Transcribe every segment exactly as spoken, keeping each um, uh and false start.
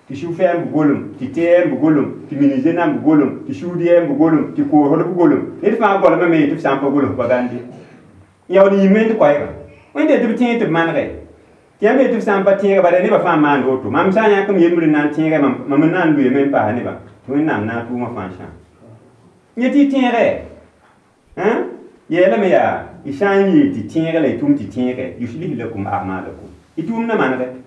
Tɩ sũ-fɛɛm b golem, tɩ tɛɛm b golem, tɩ minize nan b golem, tɩ sũud yɛɛm b golem, tɩ koosd b golem. Ned fãa golemame tɩ b sã n pa golem pa gãnde. Yaool n yĩng wẽnd koɛɛgã. Wẽnde tɩ b tẽeg tɩ b manege. Tɩ yãmb yetɩ b sã n pa tẽega bala nebã fãa maand woto. Mam sã n yãk m yembr n na n tẽega mam n na n loeeme n paasa nebã tɩ Wẽnnaam na n tʋʋmã fãa sã. Yẽ tɩ y tẽege. Yeelame yaa y sã n yeel tɩ tẽeg la y tʋm tɩ tẽege yuslih lakum a'malakum. Y tʋʋm na manege.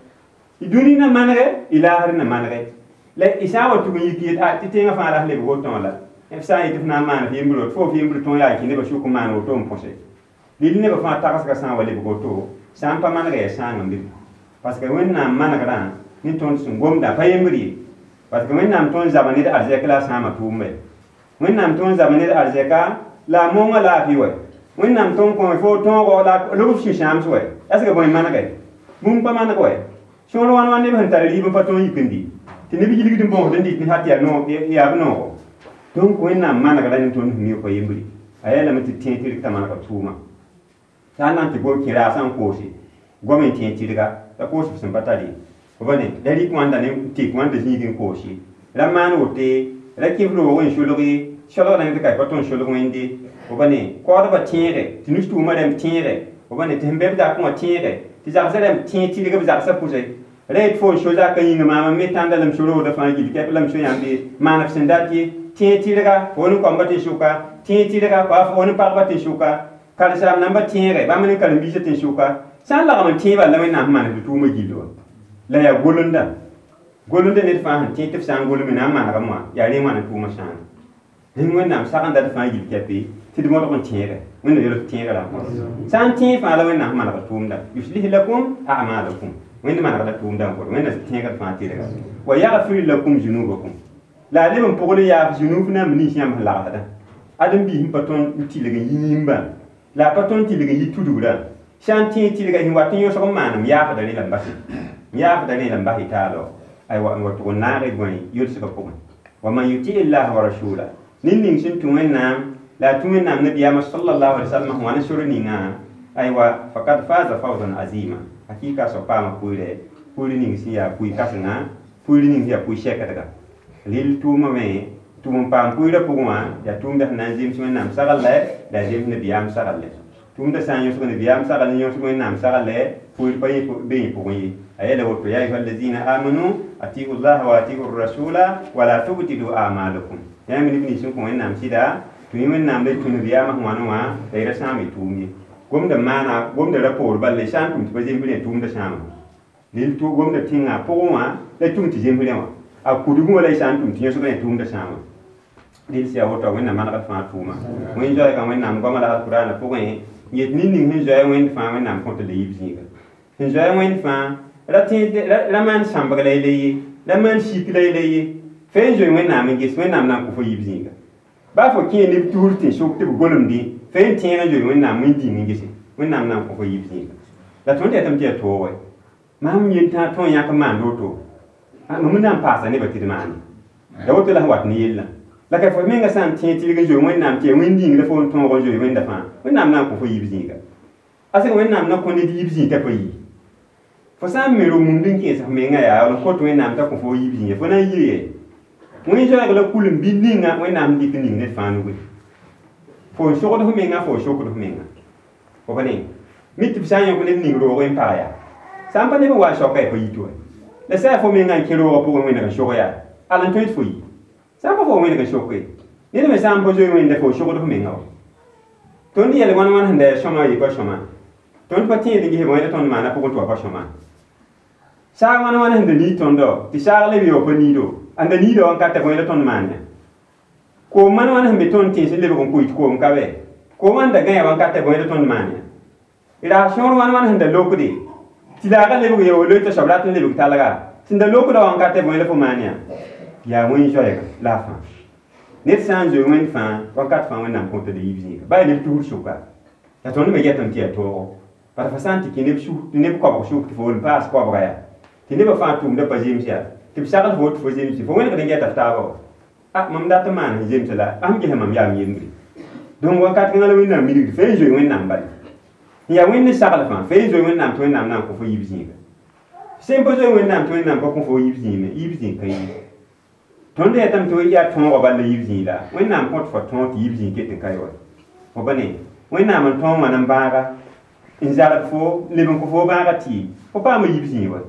Y dũni na manege, y laasr na manege. La y sã n wa tʋg n yik yet a tɩ tẽngã fãa ra lebg woto la. B sã n yetɩ f na n maan f yembr woto, fo f yembr tõog yaa n kẽ nebã sʋk n maan woto n põse. Lil nebã fãa tagsgã sã n wa lebg woto, sã n pa manega yaa sãang n be. Parce que Wẽnnaam manegrã ne tõnd sẽn gomdã pa yembr ye. Parce que Wẽnnaam tõnd zaba ned arzɛk la a sãama tʋʋmbe. Wẽnnaam tõnd zaba ned arzɛka la a moongã laafɩ wɛ. Wẽnnaam tõnd kõ fo tõogo la lob f sũ-sãams wɛ. Est ce que bõe manege? Bũmb pa maneg wɛ. Sõor wãn wãn neb sẽn tar rɩɩb n pa tõog yik n dɩ. Tɩ neb yilgd n bõosd n dɩt tɩ yaa yaa b noogo. Donc Wẽnnaam manegra ne tõnd sẽn mi pa yembre. A yeelame tɩ tẽeg tɩrg t'a manega tʋʋma. Sã n na n tɩ gom kẽ raasã n koose, goam n tẽeg tɩrga, la koos f sẽn pa tar ye. Fo ba ne, la rɩk wãnda ne tek wãnda zĩig n koos ye. Ra maan wote, ra kẽ f roog n solg ye, solgda ne tɩ ka pa tõnd solg wẽnde. Fo ba ne, kaoodbã tẽege, tɩ nus-tʋʋmã rãmb tẽege, fo ba ne, tɩ sẽn be b zakẽ wã tẽege, tɩ zagsã rãmb tẽeg tɩrg b zagsã pʋse. Ra yet fo n so zakã yĩnga maam n me tãnda la m so roogda fãa gill kɛp la m so yãmb ye, maan f sẽn dat ye, tẽeg tɩrga, fo ne koambã tẽn-sʋka, tẽeg tɩrga, fo ne pagba tẽn-sʋka, karen-saam nambã tẽege, bãmb ne karen-biisã tẽn-sʋka, sã n lagm n tẽebã la Wẽnnaam sẽn maan tɩ tʋʋmã gill wã. La yaa golenda. Golenda ned fãa sẽn tẽeg tɩ f sã n golme na n manegame wã, yaa rẽ wãna tʋʋmã sãana. Rẽnd Wẽnnaam sagenda d fãa gill kɛpe tɩ d modg n tẽege. Wẽnnaam yel tɩ tẽegrã. Sã n tẽeg fãa la Wẽnnaam sẽn manegd tʋʋmda. Yuslih lakum a'malakum. Wẽnd manegda tʋʋmda n kõt. Wẽnnaam tẽegd fãa tɩrga. Wa yaghfir lakum zunubakum. La a leb n pʋgl yaaf zunub nãmb nins yãmb sẽn lagsdã. Ãdem-biis n pa tõnd n tɩlg n yi yĩmbã, la a pa tõnd tɩlg n yi tudgrã. Sã n tẽeg tɩrga sẽn wat n yõsg n maan m yaafda rẽ la n base. M yaafda rẽ la n bas y taalo. Aywa n wa tʋg n naag y gõe yʋlsgã pʋgẽ. Wa man yuti illaha wa rasula. Ned ning sẽn tũ Wẽnnaam la a tũ Wẽnnaam nabiyaamã sallallahu alaihi wasallam sẽn wa ne sor ninga, aywa fakad faza fawzan azima. Hakika soab paama pʋɩɩrɛ, pʋɩɩr ning sẽn yaa pʋɩ-kãsenga, pʋɩɩr ning sẽn yaa pʋɩ-sɛkdga. Rɩl tʋʋmã me tʋm n paam pʋɩɩrã pʋgẽ wã yaa tʋʋmdã sẽn na n zems Wẽnnaam sagl la a zems nabiyaam sagl. Tʋʋmdã sã n yõsg nabiyaam sagl n yõsg Wẽnnaam sagl, pʋɩɩr pa be yẽ pʋgẽ ye. A yeela woto ya ayuha allazina amanu atiu llaha wa atiu rasula wala tubtilu a'malakum. Yãmb neb nins sẽn kõ Wẽnnaam sɩda, tũ y Wẽnnaam la y tũ nabiyaamã sẽn wãne wã la y ra sãam y tʋʋm ye. Gomda maana, gomda ra poor bal la y sã n tʋm tɩ pa zems rẽ tʋʋmda sãama. Rel tʋ gomda tẽngã pʋgẽ wã la y tʋm tɩ zems rẽ wã. A kudgẽ wã la y sã n tʋm tɩ yõsg rẽ tʋʋmda sãama. Rel sã woto Wẽnnaam manegd fãa tʋʋma. Wẽn zoɛɛgã Wẽnnaam goamã la alkʋraanã pʋgẽ, yet ned ning sẽn zoɛɛ wẽnd fãa Wẽnnaam kõt la yiib zĩiga. Sẽn zoɛɛ wẽnd fãa, ra tẽed ra maan sãmbg la y le ye, ra maan sik la y le ye. Fe n zoe Wẽnnaam n ges, Wẽnnaam na n kõ fo yiib zĩiga. Baa fo kẽ neb tusr tẽn-sʋk tɩ b golemdẽ, fe n tẽeg n zoe Wẽnnaam wẽn-dĩng n gese, Wẽnnaam na n kõ fo yiib zĩiga. La tõnd yetame tɩ yaa toog wɛ. Maam yentã tõe n yãk n maand woto, mam n na n paasa nebã tɩ d maane. La woto la sẽn wat ne yellã. La ka fo menga sã n tẽeg tɩrg n zoe Wẽnnaam tɩ yaa wẽn-dĩng la fo n tõog n zoe wẽnda fãa, Wẽnnaam na n kõ fo yiib zĩiga. Asẽ Wẽnnaam na kõ ned yiib zĩig t'a pa yi. Fo sã n me ro-mumd n kẽes f menga yaa n kot Wẽnnaam t'a kõ fo yiib zĩiga, fo na n yɩ Wẽn zoɛɛg la kulem bɩ ninga Wẽnnaam dɩk n ning ned fãa nugẽ. Fo n sogd f menga, fo n sokd f menga. Fo pa ne? Mi tɩ b sã n yõk ned ning roog n pag yaa. Sã n pa neb n wa n soaka yaa pa yit wɛ. La sã yaa fo menga n kẽ roogã pʋgẽ wẽneg n sog yaa, al n tõe tɩ fo yi. Sã n pa fo wẽneg n soke. Ned me sã n pa zoe wẽnda fo sogd f menga wa. Tõnd yɛl wãn wãn sẽn da yaa sõma yɩ pa sõma. Tõnd pa tẽed n ges bõe la tõnd maana pʋgẽ tɩ wa pa sõma. Saag wãn wãn sẽn da niid tõndo, tɩ saag leb wa pa niido. Ãnda niida wã n ka ta bõe la tõnd maan ya. Koom wãn wãn sẽn be tõnd tẽns n lebg n koɩt koom ka bɛ. Koom wãn da gãe wã n ka ta bõe la tõnd maan ya. Raas sõor wãn wãn sẽn da lokde, tɩ laagã lebg ya wa loe t'a soab rat n lebg talga. Sẽn da lokda wã n ka ta bõe la fo maan ya. Yaa wẽn zoɛɛga la a fãa. Ned sã n zoe wẽnd fãa, wakat fãa Wẽnnaam kõta la yiib zĩiga. Baa neb tusr sʋka. La tõnd me yetame tɩ yaa toogo. Bara fo sã n tɩ kẽ neb suk neb koabg sʋk tɩ fo n paas koabga yaa. Tɩ nebã fãa tʋʋmda pa zems yaa. Tɩ b sagl fo tɩ fo zemse, fo wẽnegd n gɛta f taabã wa. A mam dat n maan sẽn zems la, ãmb gesa mam yaa m yembre. Donc wakat kãngã la Wẽnnaam milgd fe n zoe Wẽnnaam bala. N yaa wẽnd sagl fãa, fe n zoe Wẽnnaam tɩ Wẽnnaam na n kõ fo yiib zĩiga. Sẽn pa zoe Wẽnnaam tɩ Wẽnnaam pa kõ fo yiib zĩime, yiib zĩig ka yi. Tõnd yetame tɩ yaa tõogã bal la yiib zĩig la Wẽnnaam kõt fo tõog tɩ yiib zĩig ket n ka ye wa. Fo ba ne Wẽnnaam n tõog wãn n bãaga n zalg fo leb n kõ fo bãaga tɩ fo paama yiib zĩig wa.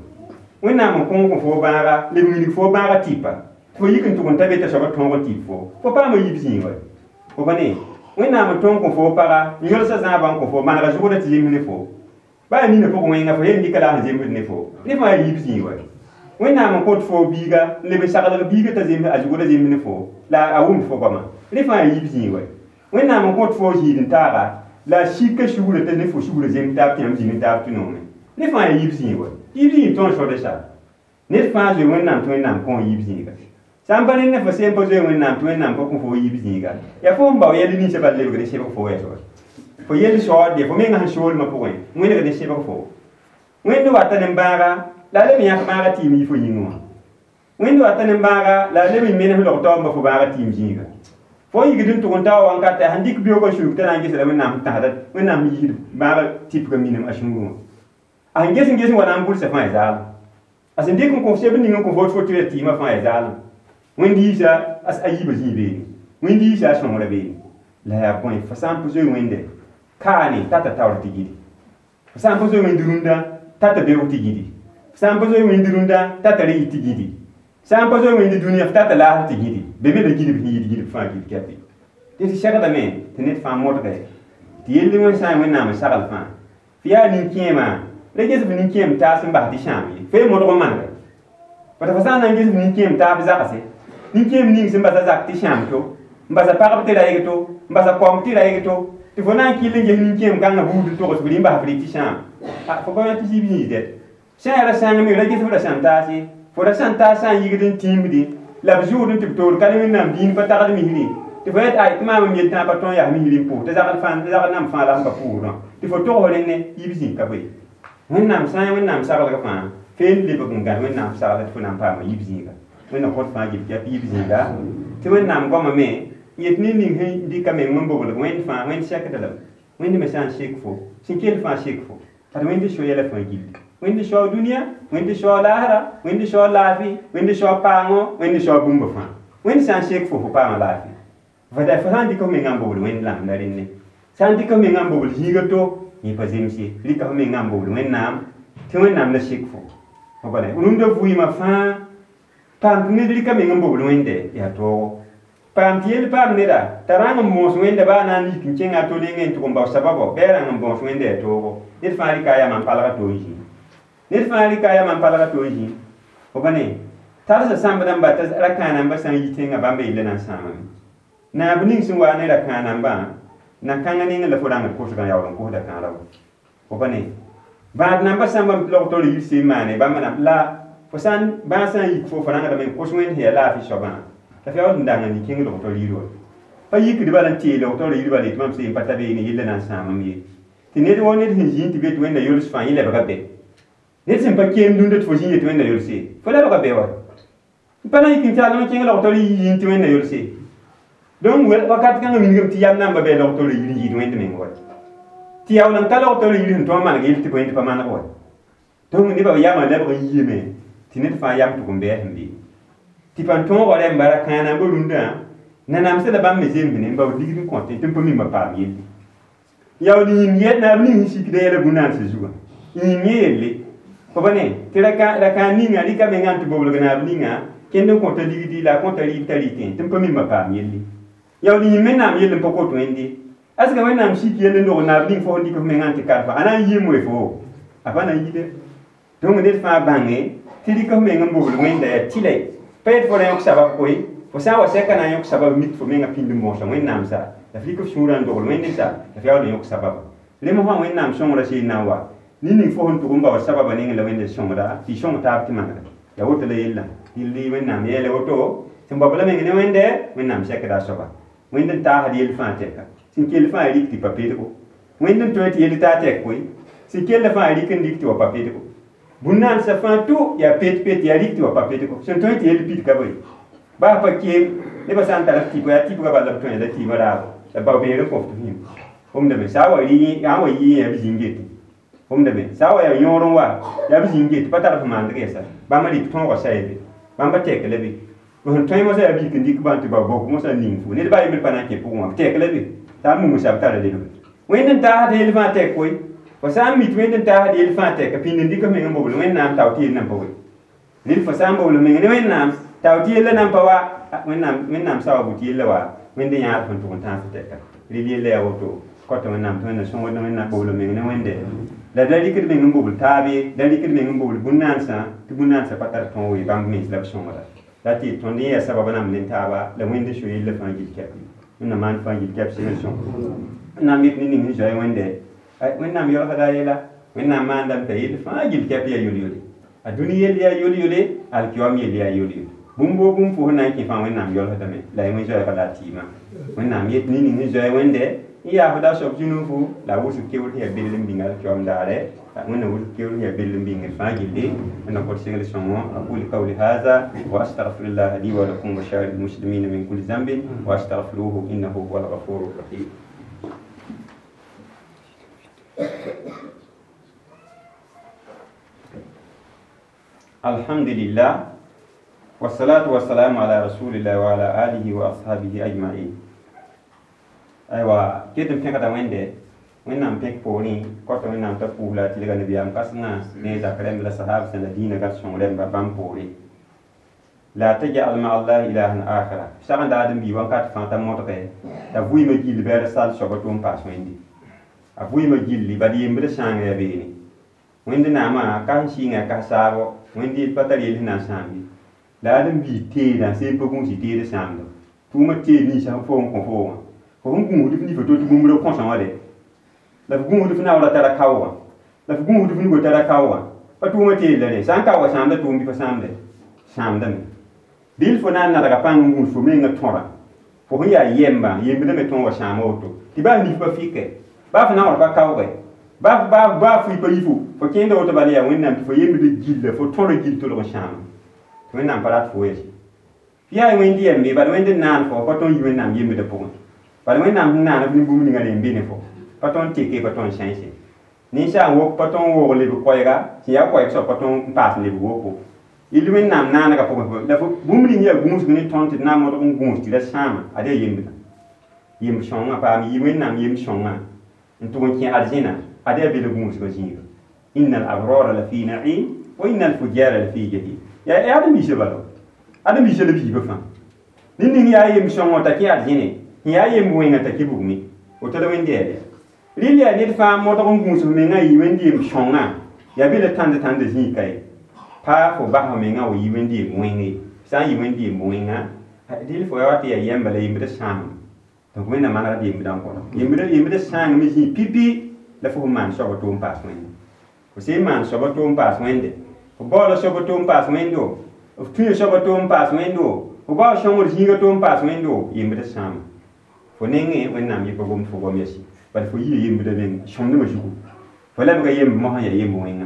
Wẽnnaam n kõo kõ fo bãaga leb n wilg fo bãaga tɩpa tɩ fo yik n tʋg n ta be t'a soaba tõog n tɩp fo fo paama yiib zĩig wa. Fo ba ne Wẽnnaam n tõog kõ fo paga n yõlsa zãabã n kõ fo manega zʋgdã tɩ zems ne fo baa nina pʋgẽ wẽnga fo yen dɩka la a sẽn zemsd ne fo ne fãa yaa yiib zĩig wa. Wẽnnaam n kõt fo biiga n leb n saglg biiga t'a zems a zʋgdã zems ne fo la a wʋmd fo goamã rẽ fãa yaa yiib zĩig wa. Wẽnnaam n kõt fo zĩig n taaga la a sika sugrã t'a ne fo sugrã zems taab tɩ yãmb zĩnd taab tɩ noome rẽ fãa yaa yiib zĩig wa. Yiib zĩig tõnd sõd sa ned fãa zoe Wẽnnaam tɩ Wẽnnaam kõ yiib zĩiga. Sã n pa ned ne fo sẽn pa zoe Wẽnnaam tɩ Wẽnnaam pa kõ fo yiib zĩiga yaa fo n bao yɛl ninsã bal lebgd n sẽbg fo wɛs wa. Fo yell saood fo menga sẽn soolmã pʋgẽ wẽnegd n sẽbg fo. Wẽnd wata ne bãaga la a leb n yãk bãaga tɩɩm yi fo yĩngẽ wã. Wẽnd wata ne bãaga la a leb n menes log taoomba fo bãaga tɩɩm zĩiga. Fo n yigd n tʋg n tao wankata sẽn dɩk beoogã sũurg t'a na n gesda Wẽnnaam sẽn tãsda Wẽnnaam sẽn yiisd bãaga tɩpga minim a sũurẽ wã. A sẽn ges n ges n wa na n gʋlsa fãa yaa zaalem. A sẽn dɩk n kõ seb ning n kõ fo tɩ fo tɩ ra tɩɩmã fãa yaa zaalem. Wẽnd yiisa a yiibã zĩig beene. Wẽnd yiisa a sõngrã beene. La yaa bõe fo sã n pa zoe Wẽnde kaane tata taoor tɩ gidi. Fo sã n pa zoe Wẽnd rũndã tata beoog tɩ gidi. Fo sã n pa zoe Wẽnd rũndã tata re yit tɩ gidi. Sã n pa zoe Wẽnd dũniyã f tata laasr tɩ gidi. Be me la gidb sẽn yɩɩd gidb fãa gid kɛpɩ. Tɩ segdame tɩ ned fãa modge tɩ yell wẽn sã n Wẽnnaam n sagl fãa. Fo yaa nin-kẽemã la ges f nin-kẽem taas n bas tɩ sãam ye. Fo ye modg n manege. Bala fo sã n na n ges f nin-kẽem taab zagse nin-kẽem ning sẽn basa zak tɩ sãam to n basa pagb tɩ raɩg to n basa koamb tɩ raɩg to tɩ fo na n kɩll n ges nin-kẽem kãngã buud n togs f rɩ n bas f rɩ tɩ sãam fo pa yã tɩ zĩig yĩs dɛ sã n yaa ra sãng me ra ges f ra sãn taas ye fo ra sãn taas sã n yigd n tĩimdẽ la b zʋʋd n tɩ b toor ka ne Wẽnnaam dĩin pa tagd misrẽ tɩ fo yet ay tɩ maam n yel tãa pa tõe n yaa misrẽ n pʋʋs tɩ zagd fãa zagd nam fãa la sẽn pa pʋʋsdã tɩ fo togs rẽnne yiib zĩig ka boe. Wẽnnaam sã n Wẽnnaam saglg fãa feen lebg n gãd Wẽnnaam sagla tɩ fo na n paama yiib zĩiga. Wẽnnaam kõt fãa gib tɩ yiib zĩiga tɩ Wẽnnaam goamã me n yet ned ning sẽn dɩka meng n boblg Wẽnd fãa Wẽnd sɛkd lame Wẽnd me sã n sek fo sẽn kell fãa sek fo ad Wẽnd so yɛla fãa gilli. Wẽnd sao dũniyã Wẽnd sao laasra Wẽnd sao laafɩ Wẽnd sao paango Wẽnd sao bũmb fãa Wẽnd sã n sek fo fo paama laafɩ. Fo sã n dɩk f mengã n bobl Wẽnd lamda rẽnne sã n dɩk f mengã n bobl zĩiga to yẽ pa zems ye rɩka f mengã n bobl Wẽnnaam tɩ Wẽnnaam la sek fo. Fo bala rũndã vɩɩmã fãa paam tɩ ned rɩka meng n bobl Wẽnde yaa toogo. Paam tɩ yell paam neda t'a rãng n moos Wẽnda baa na n yik n kẽngã a to nengẽ n tʋg n bao sababo bɩ a rãng n bõos Wẽnda yaa toogo. Ned fãa rɩka a yamã n palga to n zĩ. Ned fãa rɩka a yamã n palga to n zĩ. Fo pa ne tarsa sãmbdãmba t'a ra-kãanambã sã n yi tẽngã bãmba yella na n sãamame. Naab ning sẽn wa ne ra-kãanambã na-kãngã nengẽ la fo rãngd kosgã yaool n kosda kãara wa. Fo pa ne bãad nambã sãmba n log taoor yir seen maane bãmba na la fo sã n bãag sã n yik fo fo rãngdame n kos Wẽnd sẽn yaa laafɩ soabã la fo yaool n dang n kẽng log taoor yir wa. Pa yikd bala n tee log taoor yir bala yetɩ mam seen pa ta beene yella na n sãamam ye. Tɩ ned woo ned sẽn zĩig tɩ be tɩ Wẽnda yols fãa yẽ lebga be. Ned sẽn pa keem dũnda tɩ fo zĩig tɩ Wẽnda yolse fo lebga be wa. N pa na n yik n tall n kẽng log taoor yir yĩng tɩ Wẽnda yolse. Donc wakat kãngã wilgame tɩ yam namba bɩ log taoor yir n yɩɩd Wẽnd meng wa. Tɩ yaool n ka log taoor yir sẽn tõog n maneg yell tɩ Wẽnd pa maneg wa. Donc nebã yamã lebg n yiime tɩ ned fãa yam tʋg n bɩ sẽn be. Tɩ pa tõogã rẽmba ra-kãanambã rũndã nanamsã la bãmb me zemsne n baood ligd n kõtẽ tɩ n pa mimã paam yelle. Yaool yĩm yɛ naab ning sẽn sikda yɛla bũn-naansã zugã yĩm yẽ yelle fo pa ne tɩ ra-kãan ninga rɩka mengã n tɩ boblg naab ninga kẽnd n kõta ligdi la a kõta rɩɩb t'a rɩtẽ tɩ n pa mimã paam yelle. Yaool yĩm Wẽnnaam yell n pa kot Wẽnde aska Wẽnnaam sik yell n dog naab ning fo sẽn dɩk f mengã n tɩ karfa a na n yɩɩm we fo a pa na n yide. Donc ned fãa bãnge tɩ rɩk f meng n bobl Wẽnda yaa tɩlɛ pa yet fo ra yõk sabab koe fo sã n wa sɛka na n yõk sabab mik fo mengã pĩnd n bõosa Wẽnnaam sa la f rɩk f sũurã n dogl Wẽnd sa la f yaool n yõk sababa. Rẽ fãa Wẽnnaam sõngrã seen na n wa ned ning fo sẽn tʋg n baood sababã nengẽ la Wẽnd sõngda tɩ y sõng taab tɩ manega. Yaa woto la yellã tɩ Wẽnnaam yeele woto sẽn bao la meng ne Wẽnde Wẽnnaam sɛkda a soaba. Wẽnd n taasd yell fãa tɛka sẽn kell fãa rik tɩ pa pedgo. Wẽnd n tõe tɩ yell taa tɛk koe sẽn kell fãa rik n rik tɩ wa pa pedgo. Bũn-naansã fãa tʋ yaa pet-pet yaa rik tɩ wa pa pedgo sẽn tõe tɩ yell pid ka boe. Baa pa keem nebã sã n tar f tɩpa yaa tɩpgã bala b tõe la tɩɩmã raabo la bao beer n kõ f tɩ fĩim wʋmdame sã n wa rɩ sã n wa yɩ yã b zĩng getẽ. wʋmda be sã n wa yaa yõor n wa yaa b zĩng get pa tar f maandg yɛsa bãmba rɩk tõogã sa ye be bãmba tɛk la be sẽn tõe mosã yaa b yik n dɩk bãn tɩ ba bok mosã n ning fo ned baa yembr pa na n kẽ pʋgẽ wã b tɛk la be t'a n mumsa b tara lebg wẽnd n taasd yell fãa tɛk koe fo sã n mi tɩ wẽnd n taasd yell fãa tɛk pĩnd n dɩk f meng n bobl wẽnnaam tao tɩ yell nan pa we rɩl fo sã n bobl meng ne wẽnnaam tao tɩ yella nan pa wa wẽnnaam sa wa bʋ tɩ yella wa wẽnd n yãad fõn tʋg n tãas tɛka rɩl yella yaa woto kɔta wẽnnaam tɩ wẽnna sõngd wẽnnaam bobl meng ne wẽnde la da rɩkd meng n bobl taabe da rɩkd meng n bobl bũn-naansã tɩ bũn-naansã pa tar tõog ye bãmb mens la b sõngda la tɩ tõnd yẽ yaa sabab nam ne taaba la wẽnd n so yella fãa gil kɛp wẽnnaam maan fãa gil kɛp segl sõng wẽnnaam yet ne ning sẽn zoe wẽnde wẽnnaam yaoolgda a yɛla wẽnnaam maandame t'a yell fãa gil kɛp yaa yol-yole a dũni yell yaa yol-yole alkiyoam yell yaa yol-yole bũmb woo bũmb fo sẽn na n kẽ fãa wẽnnaam yaoolgdame la y wẽ zoɛɛga la a tɩɩmã wẽnnaam yet ne ning sẽn zoe wẽnde n yaafda a soab zũnufu la a wʋsg keoor sẽn yaa bell n bĩng alkiyoam daare wẽnnaam wʋsg keoor sẽn yaa bell n bĩngd fãa gilli wẽnnaam kõt segl sõngo aqulu qawli hadha wa astaghfirullah li wa lakum wa sa'iril muslimina min kulli dhanbin wa astaghfiruhu innahu huwal ghafurur rahim alhamdulillah والصلاة والسلام على رسول الله وعلى آله وأصحابه أجمعين أيوة كيتم فيك وين وين بيك بوري كوتا وين نام تفولا تلقى نبي أم كاسنا نيزا كريم لا صحاب سنة دينا كاسون رم بام بوري لا تجعل مع الله إلها آخر شغل دادم بيوان كات فانتا موتك تفوي مجيل بير سال شبتون باس ويندي أفوي مجيل لي بدي يمبر شان يا بيني وين دنا كان شينا كاسابو وين دي بتريل هنا شامي la ad n bii teedã sẽn pa gũus teed sãamda tʋʋmã teed ninsã sẽn fo n kõ fo wã fo sẽn gũusd f nifa to tɩ bũmb ra kõsã wã de la f gũusd f naoora tara kao wã la f gũusd f nugo tara kao wã pa tʋʋmã teed la rẽ sã n kaooga sãamda tʋʋm bɩ pa sãamde sãamdame dɩl fo na n nadga pãng n gũus fo mengã tõra fo sẽn yaa yɛmba yembdã me tõoga sãama woto tɩ baa nif pa fɩke baa fo naoor pa kaooge baa baa fʋɩ pa yi fo fo kẽenda woto bala yaa wẽnnaam tɩ fo yembd gilla fo tõra gill tolg n sãama wẽnnaam pa rat fo yɛs yaa wẽnd yɛmbe bala wẽnd n naan fo pa tõnd yi wẽnnaam yembdã pʋgẽ bala wẽnnaam sẽn naan b nin-bũmb ninga rẽ n be ne fo pa tõnd teke pa tõnd sãense ninsaag wok pa tõnd woog leb koɛɛga sẽn yaa koɛɛg soab pa tõnd n paas leb woko yell wẽnnaam naanegã pʋgẽ la bũmb ning yaa gũusg ne tõnd tɩ d na n modg n gũus tɩ ra sãama ad yaa yembdã yemb sõngã paam yi wẽnnaam yemb sõngã n tʋg n kẽ arzẽna ad yaa bel gũusgã zĩiga inna al abrara la fi na'im wa inna al fujara la fi jahim yaa adem biisã bala adem biisã la biibã fãa ned ning yaa yem sõngõ t'a kẽ arzẽne sẽn yaa yemb wẽnga t'a kẽ bugme woto la wẽnd yɛɛl ya rɩl yaa ned fãa modg n gũus f mengã n yi wẽnd yem sõngã yaa be la tãnd tãnda zĩig ka ye pa fo bas f mengã wa yi wẽnd yem wẽng ye sã n yi wẽnd yem wẽnga dɩl fo yaa wa tɩ yaa yɛmba la yembdã sãamame donc wẽnnaam manegd yembdã n kõta yembdã sãangame zĩig pipi la fo sẽn maan soaba tʋʋm paas wẽnde fo sẽn maan soaba tʋʋm paas wẽnde fo baoola soaba tʋʋm paas wẽndo f tũya soaba tʋʋm paas wẽndo fo bao sõngr zĩiga tʋʋm paas wẽndo yembdã sãama fo nengẽ wẽnnaam yɩ pa gomd fo gom yɛsi bala fo yia yembdã meng sõmdmã zugu fo lebga yemb mosã yaa yemb wẽnga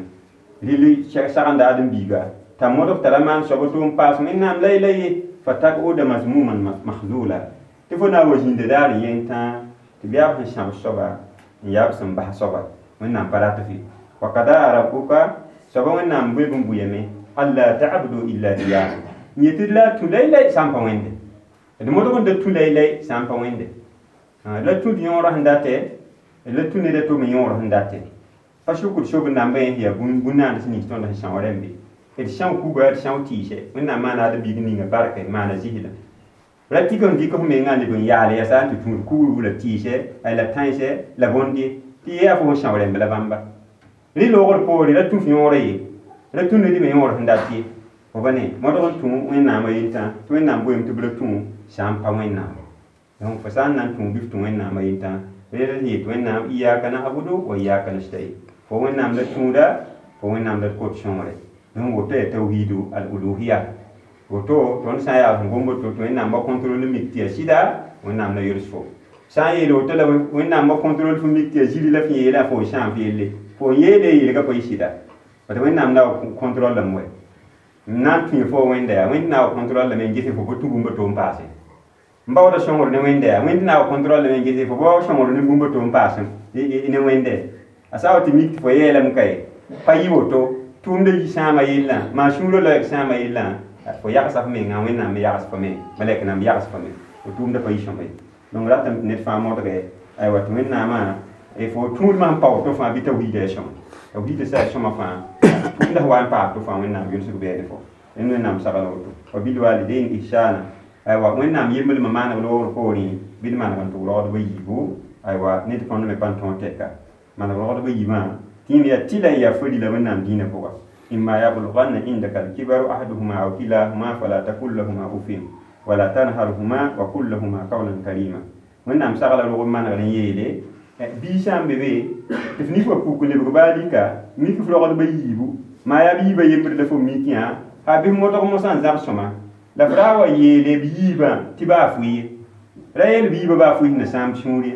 rɩl sagenda ad n biiga t'a modg tara maan soaba tʋʋm paas wẽnnaam la la ye fa tak-uda mazmuman mahzula tɩ fo na n wa zĩnda daar n yeng tãa tɩ b yaa b sẽn sãb soaba n yaa b sẽn bas soaba wẽnnaam pa rat fɩ wa kada rabbuka soaba wẽnnaam bõe bũmb bʋyame alla ta'budu illa iyahu n yetɩ la tũ laylay sã n pa wẽnde d modg n da tũ laylay sã n pa wẽnde la tũd yõorã sẽn datɛ la tũ ned a tʋm yõor sẽn datɛ pa sʋkd sob n nambã yẽ yaa bũn-naand nins tõnd sẽn são rẽmbe d são kuga d são tɩɩsɛ wẽnnaam maana ad biig ninga barka maana zɩsda ra tɩk n dɩk f mengã leb n yaal yaa sã n tɩ tũud kugr la tɩɩsɛ la tãensɛ la bõnde tɩ yaa fo sẽn são rẽmb la bãmba rɩ loogr poore ra tũ f yõorã ye ra tũ ned me yõor sẽn dat ye fo ba ne modg n tũ wẽnnaamã yentã tɩ wẽnnaam boeem tɩ b ra tũ sã n pa wẽnnaam donc fo sã n na n tũ bɩ f tũ wẽnnaamã yentã rẽd sẽn yet wẽnnaam iyaka na'budu wa iyaka nasta'in fo wẽnnaam la tũuda fo wẽnnaam la d kot sõngre donc woto yaa tawhidu al uluhiya woto tõnd sã n yaa sẽn gom woto tɩ wẽnnaam ba contrôle mik tɩ yaa sɩda wẽnnaam la yols fo sã n yeel woto la wẽnnaam ba contrôle fo mik tɩ yaa ziri la f yeela fo n sãam f yelle fo n yeele yelga pa yɩ sɩda bat wẽnnaam la wa contrôle lame wɛ n na n tũ fo wẽnda yaa wẽnd na wa contrôle lame n ges fo pa tũ bũmb to n paase n baooda sõngr ne wẽnda yaa wẽnd na wa contrôle lame n ges fo pa sõngr ne bũmb to n paase ne wẽnde A sã wa tɩ mik tɩ fo yeelame kae pa yɩ woto tʋʋmda yi sãama yellã maa sũurã loɛɛg sãama yellã fo yagsa f menga wẽnnaam me yags fo me malɛk nam yags fo me fo tʋʋmda pa yi sõma ye donc ratame tɩ ned fãa modge aywa tɩ wẽnnaamã fo tũudmã sẽn pa woto fãa bɩ tawhiida ya sõma tawhiida sa ya sõma fãa tʋʋmda sẽn wa n paam to fãa wẽnnaam yʋlsg bɛɛne fo rẽnd wẽnnaam sagla woto wa bilwalidain ihsana aywa wẽnnaam yemblmã maaneg loogr poorẽ bɩ d maneg n tʋg rogdbã yiibu aywa ned tõnd me pa n tõog tɛka maneg rogdbã yiibã tɩ yaa tɩla n yaa fo-rila wẽnnaam dĩinã pʋga إما يبلغن عندك الكبر أحدهما أو كلاهما فلا تقل لهما أف ولا تنهرهما وقل لهما قولا كريما wẽnnaam sagla rog n manegr n yeele bii sã n be be tɩ f nik wa puk n lebg baa lika mik f rogdbã yiibu maa yaa b yiibã yembr la fo mik yã ha bɩ f modg mosã n zab sõma la f ra wa yeele b yiibã tɩ baa fʋɩ ye ra yeel b yiibã baa fʋɩ sẽn na sãamb sũur ye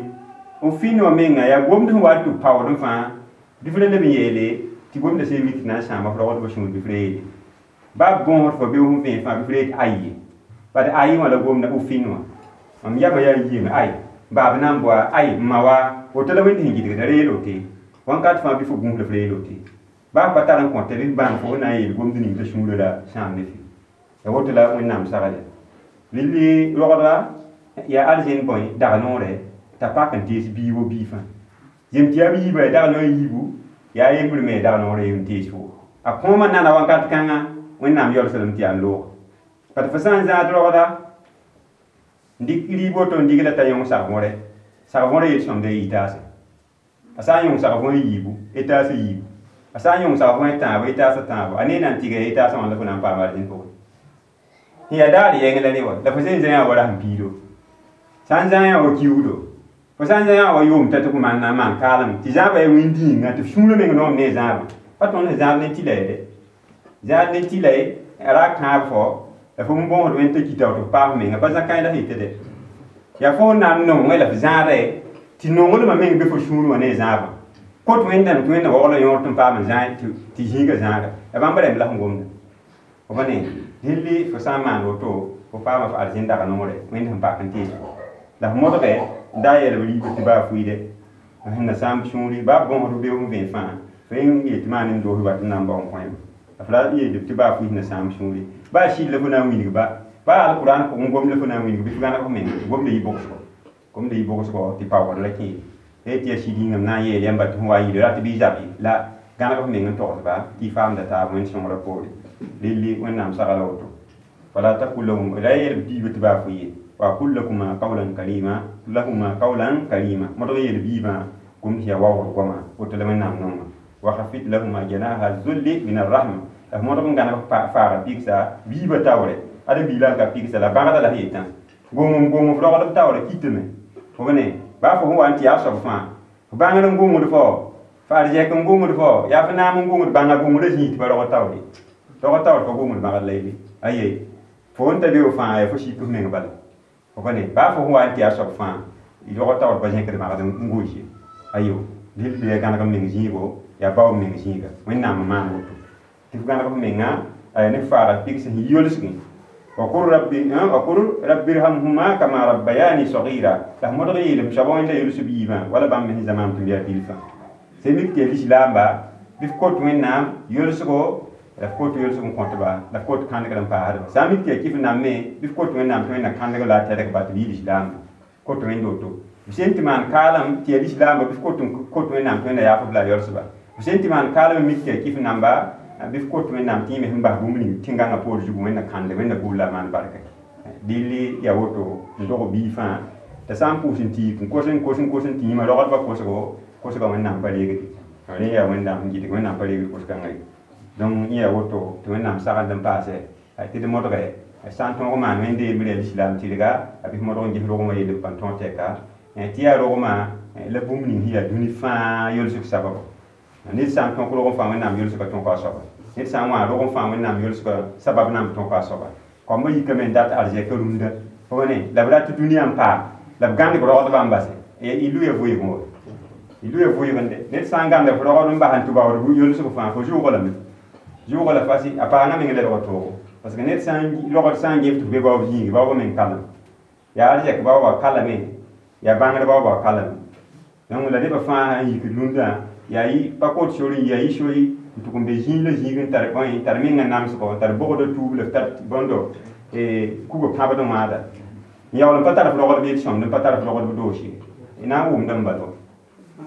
f fɩn wã menga yaa gomd sẽn wa tɩ b paoodẽ fãa bɩ f ra leb n yeele tɩ gomda sẽn mik tɩ na n sãama f rogdbã sũur bɩ f ra yeele baa b bõosd fo bɩ f vẽe fãa bɩ f ra yet ayi bat ayi wã la gomda uf fɩn wã mam yama yaa yiime ay baab na n boa ay n ma wa woto la wẽnd sẽn gɩdgda ra yeel wote wãnkat fãa bɩ fo gũus la f ra yeel wote baa pa tar n kõta bɩ f bãng fo na n yeel gomd ning t'a sũurã la sãam ne fɩ ya woto la wẽnnaam sagl ya rɩlli rogdga yaa arzẽn bõe dag noorɛ t'a pak n tees bii wo bii fãa zem tɩ yaa b yiibã ya dag noor yiibu yaa yembr me dag noorɛ n tees fo a kõomã nana wãnkat kãnga wẽnnaam yaoolslem tɩ yaa n loog bat fo sã n zãad rogda n dɩk rɩɩb woto n dig la t'a yõng sag-võre sag-võrã yel-sõmda y taase a sã n yõng sag-võr yiibu y taas yiibu a sã n yõng sag-võr tãabo y taasa tãabo a ne na n tɩga y taasã wã la fo na n paam arzẽn pʋgẽ sẽn yaa daar yɛng la ne wa la fo sẽn zã yã wa rasẽn piido sã n zã yã wa kiuudo fo sã n zã yã wa yoom t'a tɩ f maan na n maan kaalem tɩ zãabã yaa wĩn-dĩinga tɩ f sũurã meng noom ne zãabã pa tõnd sẽn zãab ne tɩla ye dɛ zãad ne tɩla ye ra kãab fo la fo n bõosd wẽnd t'a kita tɩ f paam menga pa zã-kãe la sẽn yetɩ dɛ yaa fo n na n nongẽ la f zãada ye tɩ nonglmã meng be fo sũur wã ne zãabã kot wẽndame tɩ wẽnna waoogla yõor tɩ n paam n zã tɩ zĩiga zãaga la bãmb rẽmb la sẽn gomda fo pa ne dẽlli fo sã n maan woto fo paama f arzẽn dag noorɛ wẽnd sẽn pak n tees fo la f modge n da yɛl b riibã tɩ baa fʋɩɩdɛ sẽn na sãamb sũuri baa bõosd beoog n vẽe fãa fo n yet tɩ maan n doos wat n na n bao n kõ la f ra yeelb tɩ baa fʋɩ sẽn na sãamb sũuri baa sɩd la fo na n wilg ba baa alquran pʋgẽ gomd la fo na n wilg bɩ f gãneg f menga gomda yɩ bʋgsgo gomda yɩ bʋgsgo tɩ paoogd ra kẽ tɩ yaa sɩd yĩngame na n yeel yãmba tɩ fõ wa n yɩl rat bɩ zab ye la gãneg f meng n togsba tɩ y faamda taab wẽnd sõngrã poore relli wẽnnaam sagla woto fala taqul lahum ra yeel b biibã tɩ baa fʋ ye wa qul lakuma qawlan karima lahuma qawlan karima modg yeel biibã gomd sẽn yaa waoogr goama woto la wẽnnaam nonga wa khafid lahuma janaha zulli min arrahma la f modg n gãneg faaga pigsa biibã taoore ad biilã n ka pigsa la bãgda la sẽn yetã gomem gomem f rogd b taoore kitame fo ne baa fo sẽn wa n tɩ yaa soab fãa f bãngr n gomd fo f arzɛk n gomd fo yaa f naam n gomd bãnga gomdã zĩig tɩ pa rogd taoore rogd taoor pa gomd bãgd la yelle aye fo n ta be fãa yaa fo sik f meng bala fo pa ne baa fo sẽn wa n tɩ yaa soab fãa rogd taoor pa zẽkd bãgd n goos ye ayo dɩl yaa gãneg n meng zĩigo yaa bao n meng zĩiga wẽnnaam n maan woto tɩ f gãneg f menga aya ne faaga pigs sẽn yolsgẽ وقل ربي وقل رب ارحمهما كما ربياني صغيرا la modg yeelem soaba wẽnda yels b yiibã wala bãmb me sẽn zãmaam tɩ m yaa bilfã sẽn mik tɩ yaa lislaamba bɩ f kot wẽnnaam yolsgo la f kot yolsg n kõtba la f kot kãndgr n paasdba sã n mik tɩ yaa kɩf nam me bɩ f kot wẽnnaam tɩ wẽnna kãndg la a tɛdg-ba tɩ b yɩ lislaamba kot wẽnd woto b sẽn tɩ maan kaalem tɩ yaa lislaamba bɩ f kot kot wẽnnaam tɩ wẽnna yaaf b la a yolsba b sẽn tɩ maan kaalem n mik tɩ yaa kɩf namba bɩ f kot wẽnnaam tɩ yẽ me sẽn bas bũmb ning tẽn-gãngã poor zugu wẽnna kãndg wẽnna gʋʋl la a maan barka dɩlli yaa woto n dog bii fãa t'a sã n pʋʋs n tiik n kos n kos n kos n tɩ yĩmã rogdbã kosgo kosgã wẽnnaam pa reegde rẽ yaa wẽnnaam sẽn gɩdg wẽnnaam pa reegd kos-kãngã ye donc yẽ yaa woto tɩ wẽnnaam sagend n paase tɩ d modge sã n tõog maan wẽnde yembr yaa lislaam tɩrga a bɩ f modg n ges rogmã yell b pa tõog tɛka tɩ yaa rogmã la bũmb ning sẽn yaa dũni fãa yolsg sababo ned sã n tõk rog n fãa wẽnnaam yolsgã tõka a soaba ned sã n wã rog n fãa wẽnnaam yolsgã sabab na n tõka a soaba koambã yikame n dat arzɛk rũndã fo ne la b rat dũniyã n paam la b gãndg rogdbã n base y lʋya vʋɩɩgẽ wa y lʋya vʋɩɩgẽ de ned sã n gãnda f rogd n bas n tɩ baood yolsg fãa fo zʋʋga lame zʋʋga la fasi a paanga meng lebg toogo parce que ned sã n rogd sã n gef tɩ f be baoob zĩigi baoobã meng kalem yaa arzɛk baoobã kalame yaa bãngr baoobã kalame donc la nebã fãa sã n yikd rũndã Yaa yɩ pa kot sor n yi yaa yɩ sori n tʋg n be zĩig la zĩig n tar bõe tar menga namsgo tar bogda tuub la f tar bõndo kuga pãbd n wãada n yaool n pa tar f rogd b yel-sõmd n pa tar f rogd b doos ye na n wʋmd n bala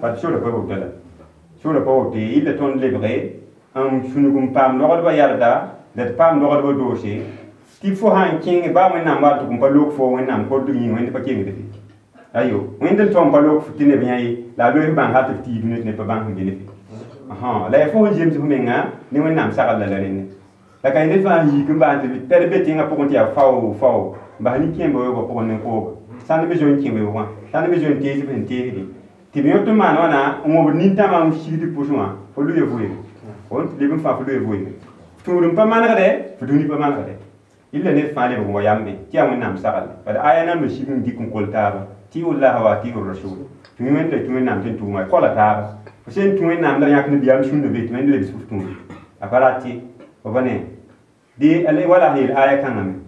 bat sora pa woto la sora pa woto ye yɩla tõnd lebge n sũnug n paam rogdbã yɛrda la d paam rogdbã doose tɩ fo sãn kẽng baa wẽnnaam wa tʋg n pa loog fo wẽnnaam kordg yĩnga wẽnd pa kengd fe ayo wẽnd n tõm pa loog tɩ neb yã ye la a loes bãng hal tɩ f tɩ dũni tɩ neb pa bãng sẽn be ne fe la yaa fo sẽn zems f menga ne wẽnnaam sagl la la rẽnne la ka ned fãa yik n bas tɩ pɛd be tẽngã pʋgẽ tɩ yaa fao fao n bas nin-kẽemba weoogã pʋgẽ ne kooga sãnd me zoe n kẽ weoogã sãnd me zoe n tees b sẽn teesdẽ tɩ b yõ tɩ maan wãna n wõbd nintãmã n sigd pʋsẽ wã fo lʋɩ vʋɩɩme fo leb n fãa fo lʋɩ vʋɩɩme tũud n pa manegdɛ fo dũni pa manegdɛ illa ned fãa lebg n wa yambe tɩ yaa wẽnnaam sagle bad aya nan me sig n dɩk n kol taaba tiu llah wa atiu rasul tũ wẽnd la tũ wẽnnaam tɩ n tʋʋma kola taaba fo sẽn tũ wẽnnaam la yãk ne biyam sũnda be tɩ wẽnd lebs f tũude a pa rat ye fo pa ne dɩ wala yel aya kãngame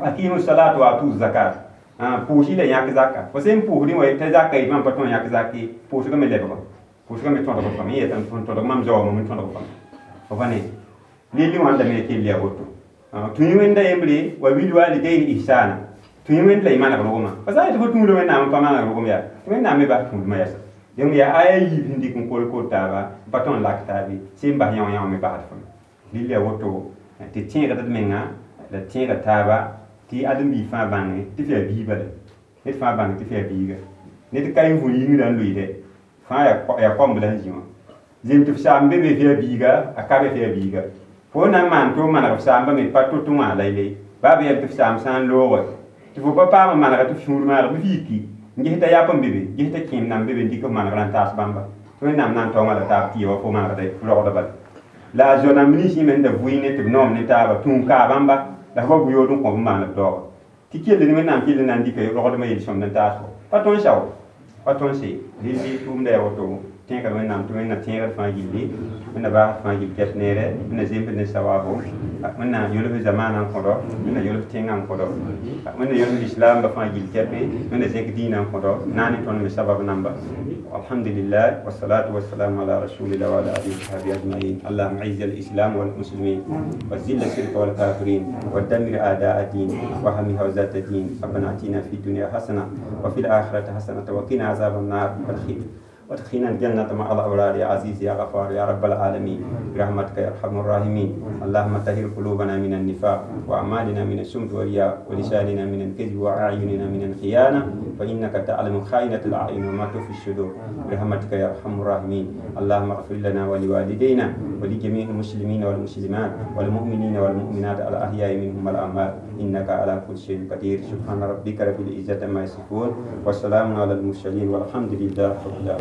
aqimu salat wa atu zakat pʋʋs la yãk zaka fo sẽn pʋʋsdẽ wa t'a zaka yetɩ mam pa tõe yãk zak ye pʋʋsgame lebga pʋʋsgame tõdg fame yetã tõdg mam zaoome n tõdg fame fo pa ne lilli wãndame kell yaa woto tũ wẽnda yembre wa bil walidain ihsana tũ wẽnd la y maneg rogmã pa sã n yetɩ fo tũuda wẽnnaam n pa maneg rogem yaa tɩ wẽnnaam me bas tũudmã yɛsa donc yaa aya yiib sẽn dɩk n kol kol taaba n pa tõnd n lak taabe sẽn bas yão yão me basd fame lill yaa woto tɩ tẽegd d menga la tẽega taaba tɩ ãdem-biig fãa bãnge tɩ f yaa biig bala ned fãa bãng tɩ f yaa biiga ned ka yẽ vũur yĩngrã n loeedɛ fãa yaa koamb la sẽn zĩ wã zem tɩ f saam be be f yaa biiga a ka be f yaa biiga fo na n maan tɩ f maneg f saamba me pa to-to wã la ye baa b yɛl tɩ f saam sã n looge tɩ fo pa paam n manega tɩ f sũur maag bɩ f yiki n ges t'a yap n be be ges t'a kẽem nan be be n dɩk f manegrã n taas bãmba tɩ wẽnnaam na n taoongã la taab tɩ ye wa fo manegda rogda bala la a zoa-nãmb ninsẽ me sẽn da vʋɩ ne tɩ b noom ne taaba tũun kaa bãmba la f wa bʋ-yood n kõ b n maan b daooga tɩ kell ne wẽnnaam kell na n dɩka rogdmã yel-sõmd n taas fo pa tõe n sao pa tõe n se lilli tʋʋmda yaa woto tẽegd wẽnnaam tɩ wẽnna tẽegd fãa gilli wẽnna baasd fãa gill kɛt neere wẽnna zemsd ne sawaabo wẽnna yolf zamaanã n kõdo wẽnna yolf tẽngã n kõdo wẽnna yolf lislaamba fãa gill kɛpe wẽnna zẽk dĩinã n kõdo naane tõnd me sabab namba alhamdulillah والصلاة والسلام على رسول الله وعلى آله وصحبه أجمعين اللهم أعز الإسلام والمسلمين وذل الشرك والكافرين ودمر أعداء الدين واحم حوزة الدين ربنا آتنا في الدنيا حسنة وفي الآخرة حسنة وقنا عذاب النار والخير وادخلنا الجنة مع الأبرار يا عزيز يا غفار يا رب العالمين برحمتك يا أرحم الراحمين اللهم طهر قلوبنا من النفاق وأعمالنا من السمت والرياء ولساننا من الكذب وأعيننا من الخيانة فإنك تعلم خائنة الأعين وما تخفي الصدور برحمتك يا أرحم الراحمين اللهم اغفر لنا ولوالدينا ولجميع المسلمين والمسلمات والمؤمنين والمؤمنات الأحياء منهم والأموات إنك على كل شيء قدير سبحان ربك رب العزة عما يصفون وسلام على المرسلين والحمد لله رب العالمين.